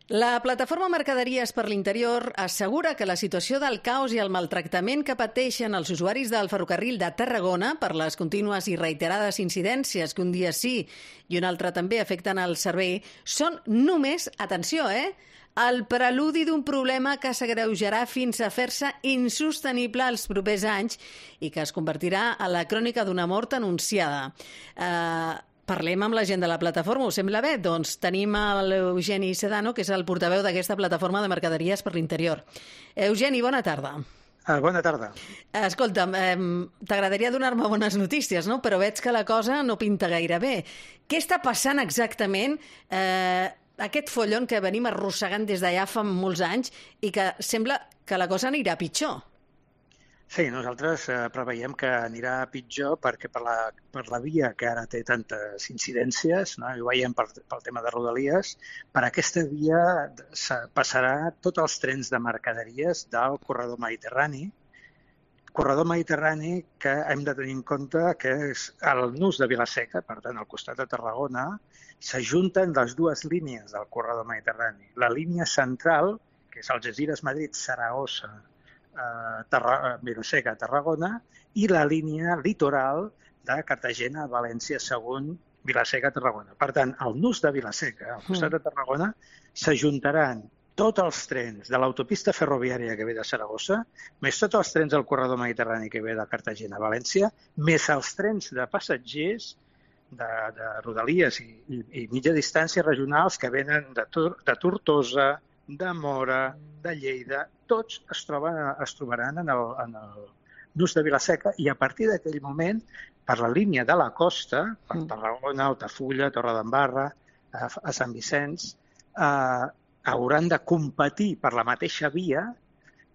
La plataforma Mercaderies per l'Interior assegura que la situació del caos i el maltractament que pateixen els usuaris del ferrocarril de Tarragona per les contínues i reiterades incidències que un dia sí i un altre també afecten el servei són només, atenció, el preludi d'un problema que s'agreujarà fins a fer-se insostenible els propers anys i que es convertirà en la crònica d'una mort anunciada. Parlem amb la gent de la plataforma, us sembla bé? Doncs tenim l'Eugeni Sedano, que és el portaveu d'aquesta plataforma de Mercaderies per l'Interior. Eugeni, bona tarda. Bona tarda. Escolta'm, t'agradaria donar-me bones notícies, no? Però veig que la cosa no pinta gaire bé. Què està passant exactament? Aquest follon que venim arrossegant des d'allà fa molts anys i que sembla que la cosa anirà pitjor. Sí, nosaltres preveiem que anirà pitjor perquè per la via que ara té tantes incidències, no? I ho veiem pel tema de Rodalies, per aquesta via passarà tots els trens de mercaderies del corredor mediterrani que hem de tenir en compte que és el nus de Vila-seca, per tant, al costat de Tarragona, s'ajunten les dues línies del corredor mediterrani. La línia central, que és Algesires, Madrid, Saragossa, Vila-seca, Tarragona, i la línia litoral de Cartagena, València, Sagunt, Vila-seca, Tarragona. Per tant, al nus de Vila-seca, al costat de Tarragona, s'ajuntaran tots els trens de l'autopista ferroviària que ve de Saragossa, més tots els trens del corredor mediterrani que ve de Cartagena a València, més els trens de passatgers de Rodalies i mitja distància regionals que venen de Tortosa, de Móra, de Lleida, tots es trobaran en el nus de Vila-seca i a partir d'aquell moment, per la línia de la costa, per Tarragona, Altafulla, Torredembarra, a Sant Vicenç, hauran de competir per la mateixa via,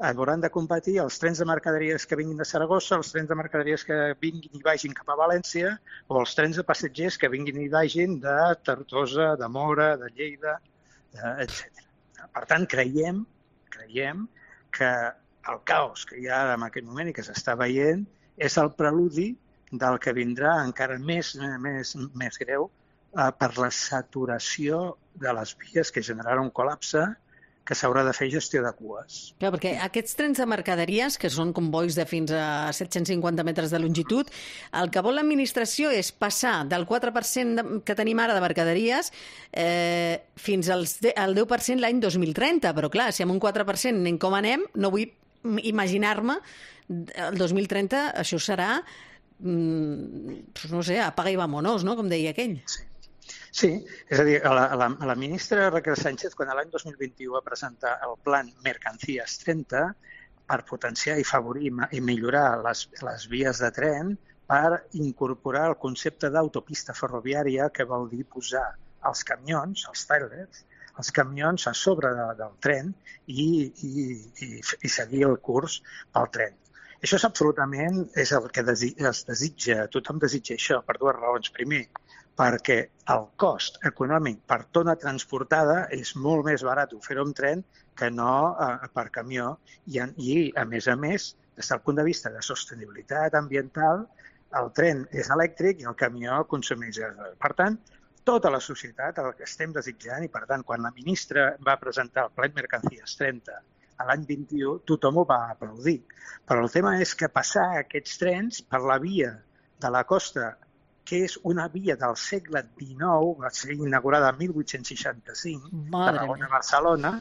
hauran de competir els trens de mercaderies que vinguin de Saragossa, els trens de mercaderies que vinguin i vagin cap a València o els trens de passatgers que vinguin i vagin de Tortosa, de Móra, de Lleida, etc. Per tant, creiem que el caos que hi ha en aquest moment i que s'està veient és el preludi del que vindrà encara més greu per la saturació de les vies que generarà un col·lapse que s'haurà de fer gestió de cues. Clar, perquè aquests trens de mercaderies, que són convois de fins a 750 metres de longitud, el que vol l'administració és passar del 4% que tenim ara de mercaderies fins al 10% l'any 2030. Però clar, si amb un 4% anem com anem, no vull imaginar-me el 2030 això serà, no sé, apaga i vámonos, no?, com deia aquell. Sí, és a dir, la ministra Raquel Sánchez, quan l'any 2021 va presentar el Plan Mercancías 30 per potenciar i favorir i millorar les vies de tren, per incorporar el concepte d'autopista ferroviària, que vol dir posar els camions, els trailers, els camions a sobre del tren i seguir el curs pel tren. Això és absolutament el que es desitja, tothom desitja això, per dues raons. Primer, perquè el cost econòmic per tona transportada és molt més barat fer-ho amb tren que no per camió i, a més, des del punt de vista de sostenibilitat ambiental, el tren és elèctric i el camió consumeix gasoil. Per tant, tota la societat el que estem desitjant i, per tant, quan la ministra va presentar el Plan Mercancías 30 a l'any 21, tothom ho va aplaudir. Però el tema és que passar aquests trens per la via de la costa, que és una via del segle XIX, va ser inaugurada en 1865, Tarragona-Barcelona,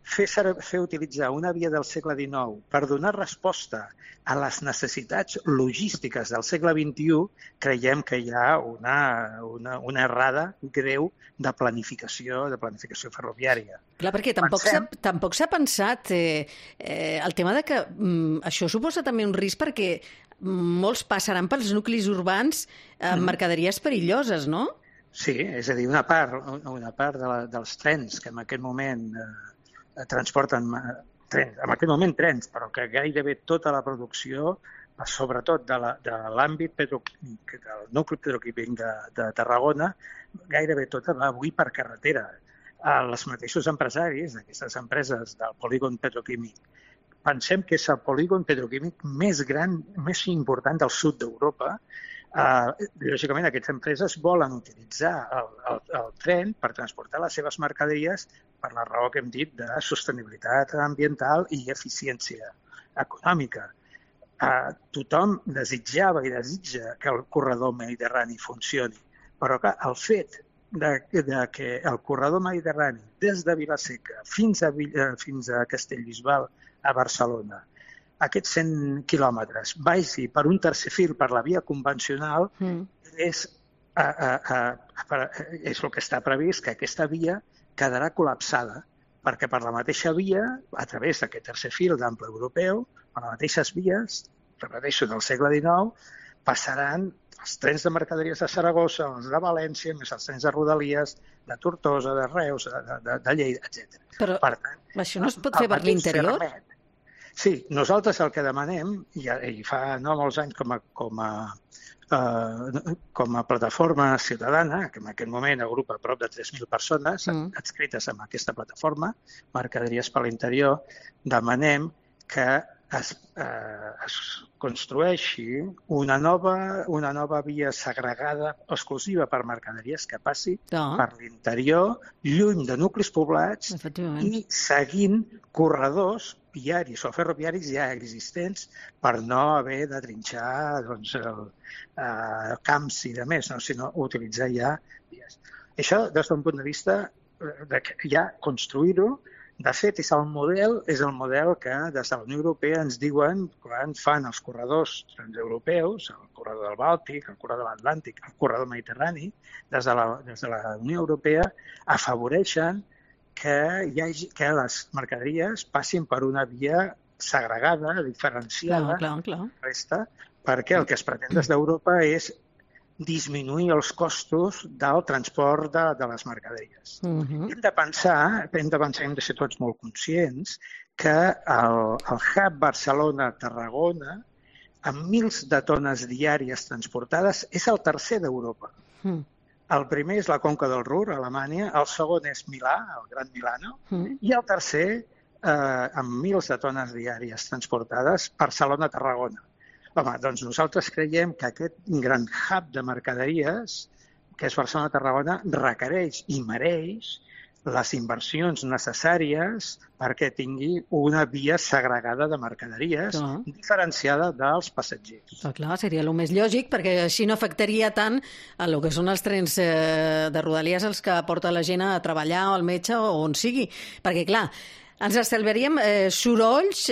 fer utilitzar una via del segle XIX per donar resposta a les necessitats logístiques del segle XXI, creiem que hi ha una errada greu de planificació ferroviària. Clar, perquè tampoc s'ha pensat el tema de que això suposa també un risc perquè molts passaran pels nuclis urbans amb mercaderies perilloses, no? Sí, és a dir, una part dels trens que en aquest moment transporten trens, però que gairebé tota la producció, sobretot de l'àmbit petroquímic, del nucli petroquímic de Tarragona, gairebé tota va avui per carretera. Els mateixos empresaris d'aquestes empreses del polígon petroquímic pensem que és el polígon petroquímic més gran, més important del sud d'Europa, Lògicament, aquestes empreses volen utilitzar el tren per transportar les seves mercaderies per la raó que hem dit de sostenibilitat ambiental i eficiència econòmica. Tothom desitjava i desitja que el corredor mediterrani funcioni, però que el fet de que el corredor mediterrani des de Vila-seca fins a Castellbisbal, a Barcelona, aquests 100 quilòmetres vagi per un tercer fil per la via convencional és el que està previst, que aquesta via quedarà col·lapsada, perquè per la mateixa via, a través d'aquest tercer fil d'ample europeu, per les mateixes vies, repeteixo, del segle XIX, passaran els trens de mercaderies de Saragossa, els de València, més els trens de Rodalies, de Tortosa, de Reus, de Lleida, etc. Però per tant, això no es pot fer per l'interior? Sí, nosaltres el que demanem, i fa no molts anys com a plataforma ciutadana, que en aquest moment agrupa prop de 3.000 persones adscrites en aquesta plataforma, Mercaderies per l'Interior, demanem que es construeixi una nova via segregada exclusiva per mercaderies que passi per l'interior, lluny de nuclis poblats i seguint corredors viaris o ferroviaris ja existents per no haver de trinxar camps i demés, sinó utilitzar ja vies. Això des d'un punt de vista de ja construir-ho. De fet, és el model que des de la Unió Europea ens diuen quan fan els corredors transeuropeus, el corredor del Bàltic, el corredor de l'Atlàntic, el corredor mediterrani, des de la Unió Europea afavoreixen que les mercaderies passin per una via segregada, diferenciada, resta, perquè el que es pretén des d'Europa és disminuir els costos del transport de les mercaderies. Hem de pensar, hem de ser tots molt conscients, que el hub Barcelona-Tarragona, amb mils de tones diàries transportades, és el tercer d'Europa. El primer és la Conca del Ruhr, a Alemanya, el segon és Milà, el Gran Milano, i el tercer, amb mils de tones diàries transportades, Barcelona-Tarragona. Home, doncs nosaltres creiem que aquest gran hub de mercaderies, que és Barcelona-Tarragona, requereix i mereix les inversions necessàries perquè tingui una via segregada de mercaderies diferenciada dels passatgers. Clar, seria el més lògic, perquè així no afectaria tant el que són els trens de Rodalies els que porta la gent a treballar o al metge o on sigui. Perquè, clar, ens estalviaríem sorolls,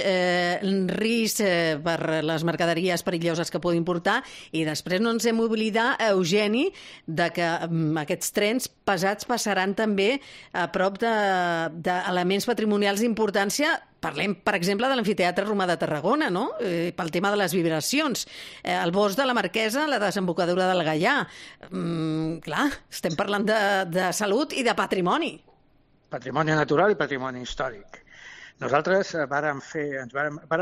risc per les mercaderies perilloses que podin portar i després no ens hem d'oblidar, Eugeni, de que aquests trens pesats passaran també a prop d'elements patrimonials d'importància. Parlem, per exemple, de l'Amfiteatre Romà de Tarragona, no? Pel tema de les vibracions. El bosc de la Marquesa, la desembocadura del Gaià. Clar, estem parlant de salut i de patrimoni. Patrimoni natural i patrimoni històric. Nosaltres vàrem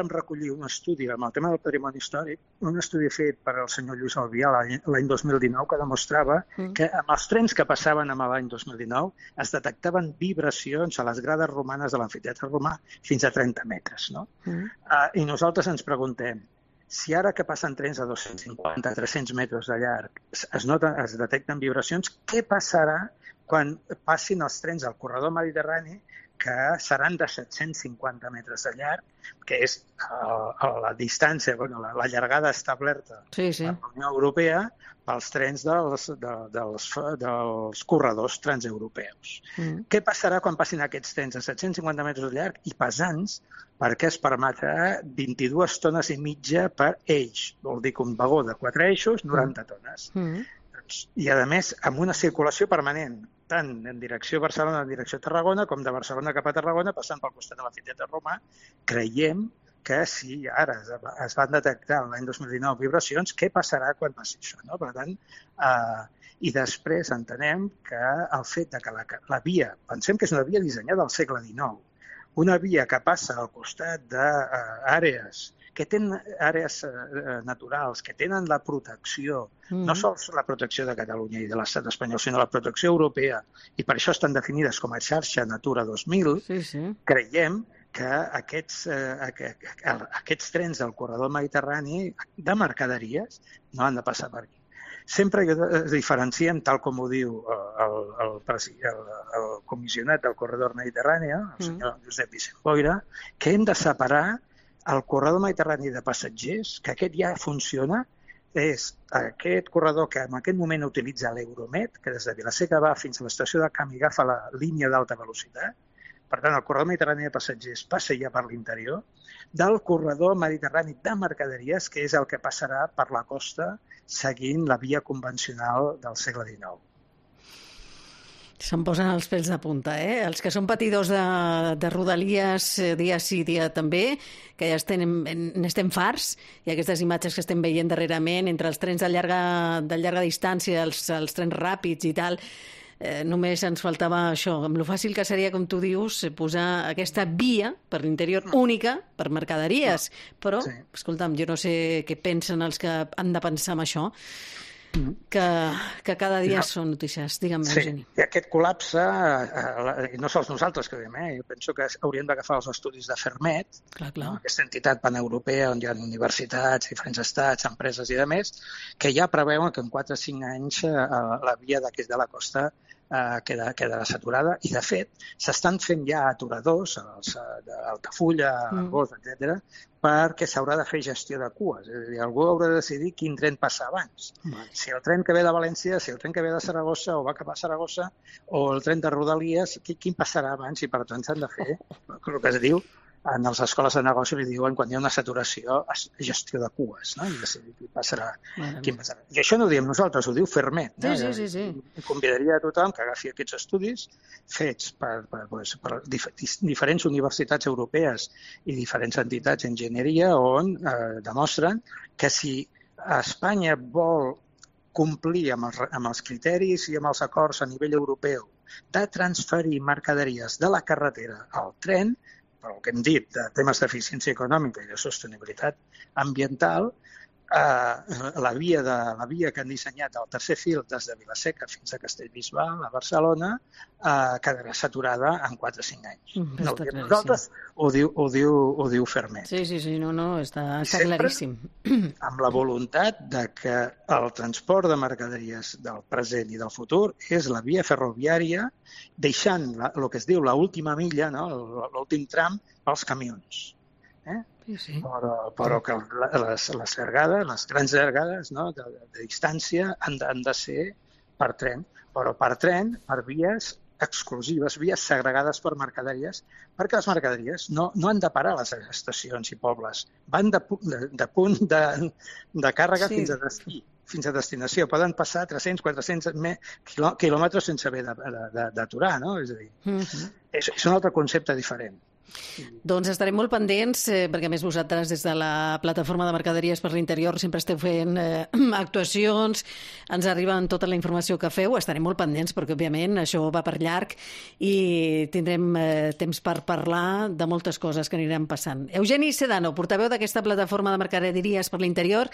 recollir un estudi amb el tema del patrimoni històric, un estudi fet per el senyor Lluís Albià l'any 2019 que demostrava que amb els trens que passaven l'any 2019 es detectaven vibracions a les grades romanes de l'Amfiteatre Romà fins a 30 metres. I nosaltres ens preguntem, si ara que passen trens a 250-300 metres de llarg es detecten vibracions, què passarà quan passin els trens al corredor mediterrani, que seran de 750 metres de llarg, que és la distància, la llargada establerta per la Unió Europea pels trens dels corredors transeuropeus. Què passarà quan passin aquests trens de 750 metres de llarg i pesants, perquè es permetrà 22 tones i mitja per eix, vol dir que un vagó de 4 eixos, 90 tones. I, a més, amb una circulació permanent, tant en direcció Barcelona, en direcció Tarragona, com de Barcelona cap a Tarragona, passant pel costat de l'Amfiteatre Romà, creiem que si ara es van detectar l'any 2019 vibracions, què passarà quan passi això? Per tant, i després entenem que el fet que la via, pensem que és una via dissenyada al segle XIX, una via que passa al costat d'àrees que tenen àrees naturals, que tenen la protecció, no sols la protecció de Catalunya i de l'estat espanyol, sinó la protecció europea, i per això estan definides com a xarxa Natura 2000, creiem que aquests trens del corredor mediterrani de mercaderies no han de passar per aquí. sempre es diferencien, tal com ho diu el comissionat del corredor mediterrani, el senyor Josep Vicent Boira, que hem de separar el corredor mediterrani de passatgers, que aquest ja funciona, és aquest corredor que en aquest moment utilitza l'Euromed, que des de Vila-seca va fins a l'estació de Camp i agafa la línia d'alta velocitat. Per tant, el corredor mediterrani de passatgers passa ja per l'interior, del corredor mediterrani de mercaderies, que és el que passarà per la costa seguint la via convencional del segle XIX. Se'm posen els pèls de punta, eh? Els que són patidors de rodalies dia sí, dia també, que ja n'estem farts, i aquestes imatges que estem veient darrerament entre els trens de llarga distància, els trens ràpids i tal, només ens faltava això, amb lo fàcil que seria, com tu dius, posar aquesta via per l'interior única per mercaderies. Però, escolta'm, jo no sé què pensen els que han de pensar en això, que cada dia són notícies. Digue'm, Eugeni. I aquest col·lapse, i no sols nosaltres que veiem, jo penso que hauríem d'agafar els estudis de Fermet, aquesta entitat paneuropea on hi ha universitats, diferents estats, empreses i demés, que ja preveuen que en 4 o 5 anys la via d'aquest de la costa quedarà saturada, i de fet s'estan fent ja aturadors d'Altafulla, Argós, etc., perquè s'haurà de fer gestió de cues. És a dir, algú haurà de decidir quin tren passa abans. Si el tren que ve de València, si el tren que ve de Saragossa o va cap a Saragossa, o el tren de Rodalies, quin passarà abans? I per tant s'han de fer el que es diu, en les escoles de negoci li diuen quan hi ha una saturació, gestió de cues, no? I decidir quin passarà. I això no ho diem nosaltres, ho diu Fermet. Sí. Convidaria a tothom que agafi aquests estudis fets per diferents universitats europees i diferents entitats d'enginyeria on demostren que si Espanya vol complir amb els criteris i amb els acords a nivell europeu de transferir mercaderies de la carretera al tren, pel que hem dit de temes d'eficiència econòmica i de sostenibilitat ambiental, la via que han dissenyat al tercer fil des de Vila-seca fins a Castellbisbal, a Barcelona, quedarà saturada en 4 o 5 anys. No ho diem nosaltres, ho diu Fermet. Sí, no, està claríssim. Amb la voluntat de que el transport de mercaderies del present i del futur és la via ferroviària, deixant el que es diu l'última milla, l'últim tram, pels camions. Sí. Però que les llargades, les grans llargades de distància han de ser per tren, però per tren, per vies exclusives, vies segregades per mercaderies, perquè les mercaderies no han de parar a les estacions i pobles, van de punt de càrrega fins a destí, fins a destinació. Poden passar 300-400 quilòmetres sense haver d'aturar, no? És a dir, és un altre concepte diferent. Doncs estarem molt pendents, perquè a més vosaltres des de la plataforma de mercaderies per l'interior sempre esteu fent actuacions, ens arriben tota la informació que feu, estarem molt pendents perquè òbviament això va per llarg i tindrem temps per parlar de moltes coses que aniran passant. Eugeni Sedano, portaveu d'aquesta plataforma de mercaderies per l'interior,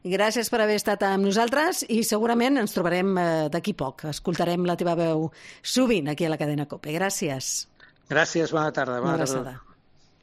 gràcies per haver estat amb nosaltres i segurament ens trobarem d'aquí poc. Escoltarem la teva veu sovint aquí a la cadena COPE. Gràcies. Gràcies, bona tarda. Una abraçada.